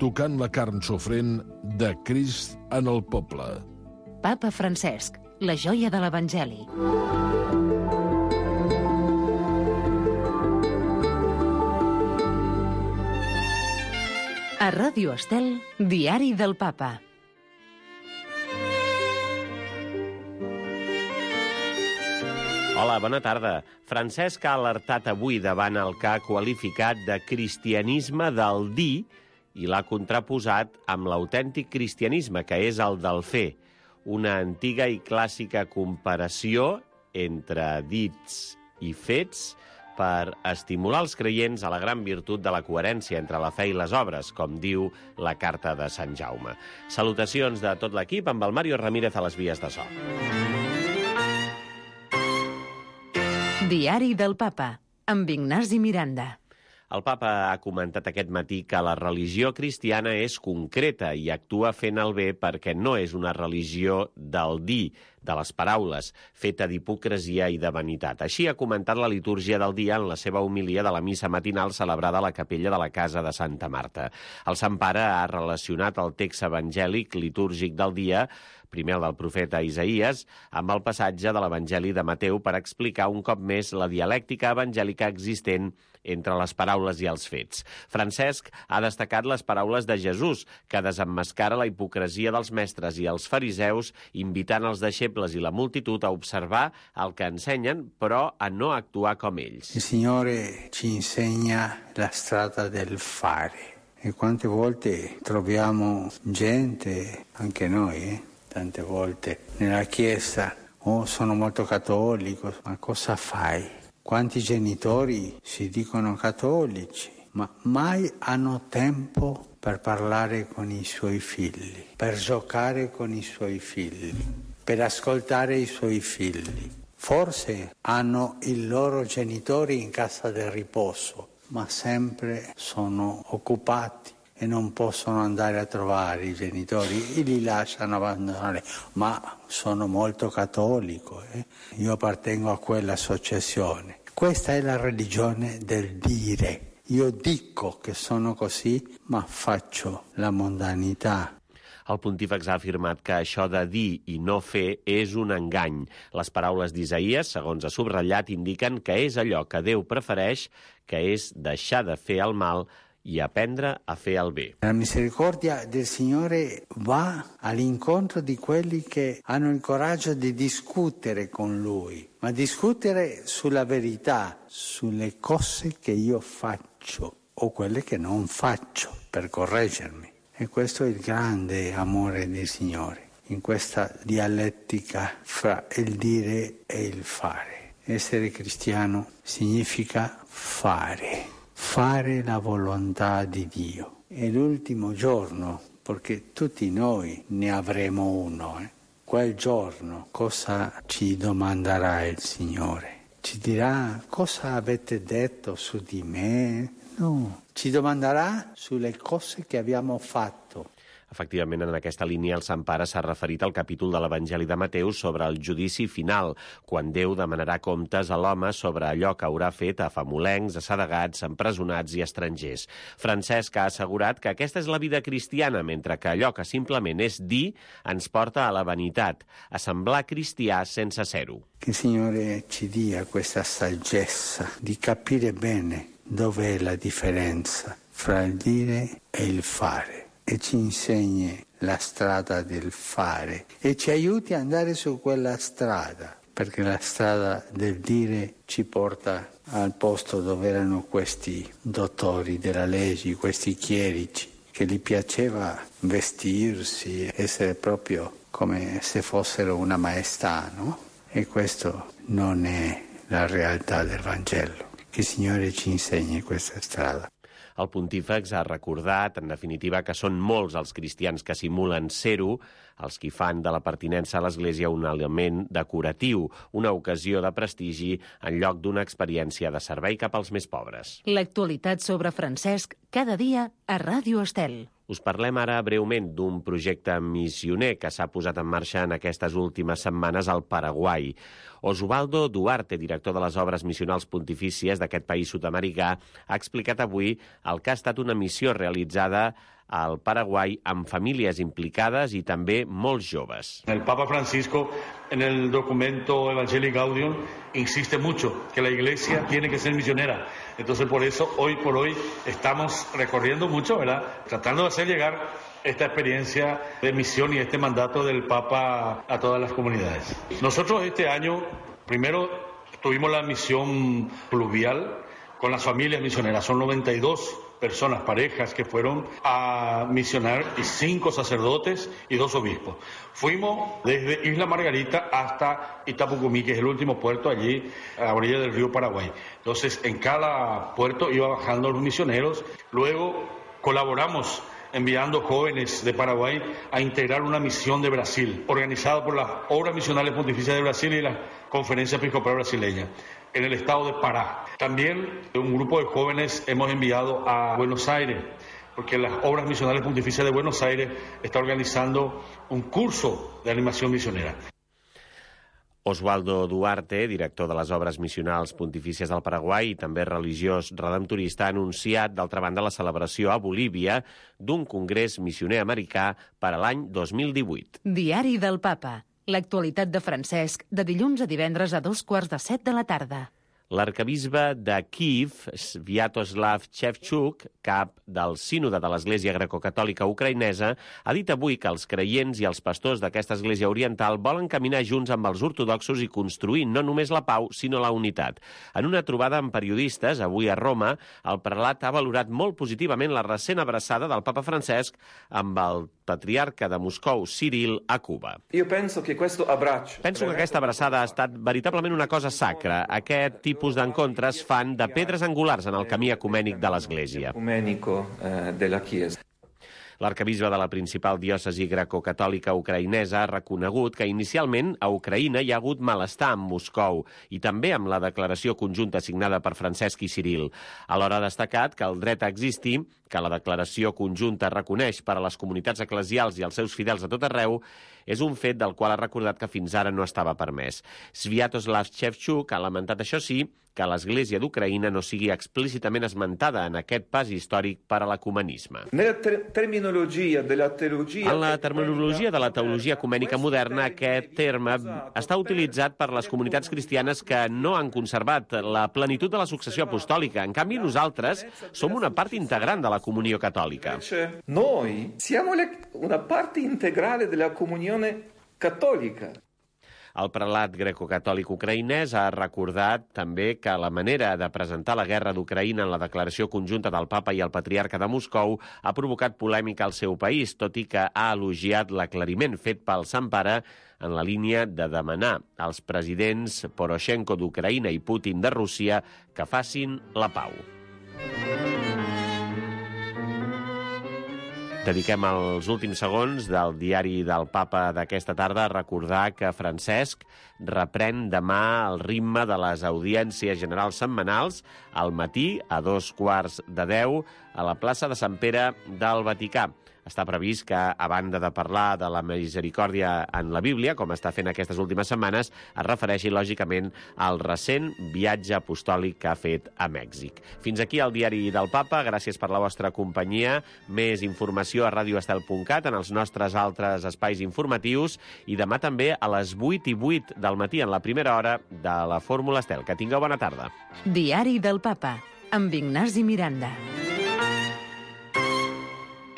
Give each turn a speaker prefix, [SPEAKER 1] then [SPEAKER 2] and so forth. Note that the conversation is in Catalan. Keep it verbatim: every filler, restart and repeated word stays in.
[SPEAKER 1] tocant la carn sofrent de Crist en el poble.
[SPEAKER 2] Papa Francesc, la joia de l'Evangeli. A Ràdio Estel, Diari del Papa.
[SPEAKER 3] Hola, bona tarda. Francesc ha alertat avui davant el que ha qualificat de cristianisme del dir i l'ha contraposat amb l'autèntic cristianisme, que és el del fer. Una antiga i clàssica comparació entre dits i fets per estimular els creients a la gran virtut de la coherència entre la fe i les obres, com diu la Carta de Sant Jaume. Salutacions de tot l'equip amb el Mario Ramírez a les vies de so.
[SPEAKER 2] Diari del Papa, amb Ignasi Miranda.
[SPEAKER 3] El papa ha comentat aquest matí que la religió cristiana és concreta i actua fent el bé perquè no és una religió del dir, de les paraules, feta d'hipocresia i de vanitat. Així ha comentat la litúrgia del dia en la seva homilia de la missa matinal celebrada a la capella de la Casa de Santa Marta. El Sant Pare ha relacionat el text evangèlic litúrgic del dia, primer el del profeta Isaïes, amb el passatge de l'Evangeli de Mateu per explicar un cop més la dialèctica evangèlica existent entre les paraules i els fets. Francesc ha destacat les paraules de Jesús, que desemmascara la hipocresia dels mestres i els fariseus, invitant els deixebles i la multitud a observar el que ensenyen, però a no actuar com ells.
[SPEAKER 4] Il Signore ci insegna la strada del fare. E quante volte troviamo gente, anche noi, eh? Tante volte nella Chiesa, oh, sono molto cattolico, ma cosa fai? Quanti genitori si dicono cattolici, ma mai hanno tempo per parlare con i suoi figli, per giocare con i suoi figli, per ascoltare i suoi figli. Forse hanno i loro genitori in casa del riposo, ma sempre sono occupati e non possono andare a trovare i genitori e li lasciano abbandonare. Ma sono molto cattolico, eh? Io appartengo a quell'associazione. Questa è la religione del dire. Io dico che sono così, ma faccio la mondanità.
[SPEAKER 3] El pontífex ha afirmat que això de dir i no fer és un engany. Les paraules d'Isaïes, segons ha subratllat, indiquen que és allò que Déu prefereix, que és deixar de fer el mal i aprendre a fer el bé.
[SPEAKER 4] La misericordia del Signore va all'incontro di quelli che hanno il coraggio di discutere con Lui, ma discutere sulla verità, sulle cose che io faccio o quelle che non faccio, per correggermi. E questo è il grande amore del Signore, in questa dialettica fra il dire e il fare. Essere cristiano significa fare. Fare la volontà di Dio. È l'ultimo giorno, perché tutti noi ne avremo uno. Eh? Quel giorno cosa ci domanderà il Signore? Ci dirà cosa avete detto su di me? No, ci domanderà sulle cose che abbiamo fatto.
[SPEAKER 3] Efectivament, en aquesta línia el Sant Pare s'ha referit al capítol de l'Evangeli de Mateu sobre el judici final, quan Déu demanarà comptes a l'home sobre allò que haurà fet a famolencs, assedegats, empresonats i estrangers. Francesc ha assegurat que aquesta és la vida cristiana, mentre que allò que simplement és dir ens porta a la vanitat, a semblar cristià sense ser-ho.
[SPEAKER 4] Che il Signore ci dia questa saggezza di capire bene dov'è la differenza fra il dire e il fare. E ci insegni la strada del fare e ci aiuti ad andare su quella strada, perché la strada del dire ci porta al posto dove erano questi dottori della legge, questi chierici, che gli piaceva vestirsi, essere proprio come se fossero una maestà, no? E questo non è la realtà del Vangelo. Che il Signore ci insegni questa strada.
[SPEAKER 3] El pontífex ha recordat, en definitiva, que són molts els cristians que simulen ser-ho, els que fan de la pertinença a l'Església un element decoratiu, una ocasió de prestigi en lloc d'una experiència de servei cap als més pobres.
[SPEAKER 2] L'actualitat sobre Francesc, cada dia a Ràdio Estel.
[SPEAKER 3] Us parlem ara breument d'un projecte missioner que s'ha posat en marxa en aquestes últimes setmanes al Paraguai. Osvaldo Duarte, director de les obres missionals pontifícies d'aquest país sud-americà, ha explicat avui el que ha estat una missió realitzada al Paraguai amb famílies implicades i també molts joves.
[SPEAKER 5] El Papa Francisco, en el documento Evangelii Gaudium, insiste mucho que la Iglesia tiene que ser misionera. Entonces, por eso, hoy por hoy, estamos recorriendo mucho, ¿verdad? Tratando de hacer llegar esta experiencia de misión y este mandato del Papa a todas las comunidades. Nosotros este año, primero, tuvimos la misión pluvial con las familias misioneras. Son noventa y dos personas, parejas, que fueron a misionar, y cinco sacerdotes y dos obispos. Fuimos desde Isla Margarita hasta Itapucumí, que es el último puerto allí a la orilla del río Paraguay. Entonces, en cada puerto iba bajando los misioneros. Luego colaboramos enviando jóvenes de Paraguay a integrar una misión de Brasil, organizada por las Obras Misionales Pontificias de Brasil y la Conferencia Episcopal Brasileña, en el estado de Pará. También un grupo de jóvenes hemos enviado a Buenos Aires, porque las Obras Misionales Pontificias de Buenos Aires está organizando un curso de animación misionera.
[SPEAKER 3] Oswaldo Duarte, director de les Obres Missionals Pontifícies del Paraguai i també religiós redemptorista, ha anunciat, d'altra banda, la celebració a Bolívia d'un congrés missioner americà per a l'any dos mil divuit.
[SPEAKER 2] Diari del Papa. L'actualitat de Francesc, de dilluns a divendres a dos quarts de set de la tarda.
[SPEAKER 3] L'arcabisbe de Kíev, Sviatoslav Shevchuk, cap del sínode de l'Església Grecocatòlica Ucraïnesa, ha dit avui que els creients i els pastors d'aquesta església oriental volen caminar junts amb els ortodoxos i construir no només la pau, sinó la unitat. En una trobada amb periodistes, avui a Roma, el prelat ha valorat molt positivament la recent abraçada del papa Francesc amb el patriarca de Moscou, Ciril, a Cuba.
[SPEAKER 6] Io penso che questo abbraccio...
[SPEAKER 3] Penso que aquesta abraçada ha estat veritablement una cosa sacra. Aquest tipus d'encontres fan de pedres angulars en el camí ecumènic de l'Església.
[SPEAKER 6] Ecumenico eh, de la Chiesa.
[SPEAKER 3] L'arcabisbe de la principal diòcesi grecocatòlica ucraïnesa ha reconegut que inicialment a Ucraïna hi ha hagut malestar amb Moscou i també amb la declaració conjunta signada per Francesc i Ciril. Alhora ha destacat que el dret a existir, que la declaració conjunta reconeix per a les comunitats eclesials i els seus fidels a tot arreu, és un fet del qual ha recordat que fins ara no estava permès. Sviatoslav Shevchuk ha lamentat, això sí, que l'Església d'Ucraïna no sigui explícitament esmentada en aquest pas històric per a l'ecumenisme. En la terminologia de la teologia ecumènica moderna, aquest terme està utilitzat per les comunitats cristianes que no han conservat la plenitud de la successió apostòlica. En canvi, nosaltres som una part integrant de la comunió catòlica.
[SPEAKER 6] Noi siamo una parte integrale della comunione cattolica.
[SPEAKER 3] El prelat grecocatòlic ucraïnès ha recordat també que la manera de presentar la guerra d'Ucraïna en la declaració conjunta del papa i el patriarca de Moscou ha provocat polèmica al seu país, tot i que ha elogiat l'aclariment fet pel Sant Pare en la línia de demanar als presidents Poroshenko d'Ucraïna i Putin de Rússia que facin la pau. Dediquem els últims segons del diari del Papa d'aquesta tarda a recordar que Francesc reprèn demà el ritme de les audiències generals setmanals al matí a dos quarts de deu a la plaça de Sant Pere del Vaticà. Està previst que, a banda de parlar de la misericòrdia en la Bíblia, com està fent aquestes últimes setmanes, es refereixi, lògicament, al recent viatge apostòlic que ha fet a Mèxic. Fins aquí el diari del Papa. Gràcies per la vostra companyia. Més informació a radio estel punt cat en els nostres altres espais informatius i demà també a les vuit i vuit del matí en la primera hora de la Fórmula Estel. Que tingueu bona tarda.
[SPEAKER 2] Diari del Papa, amb Ignasi Miranda.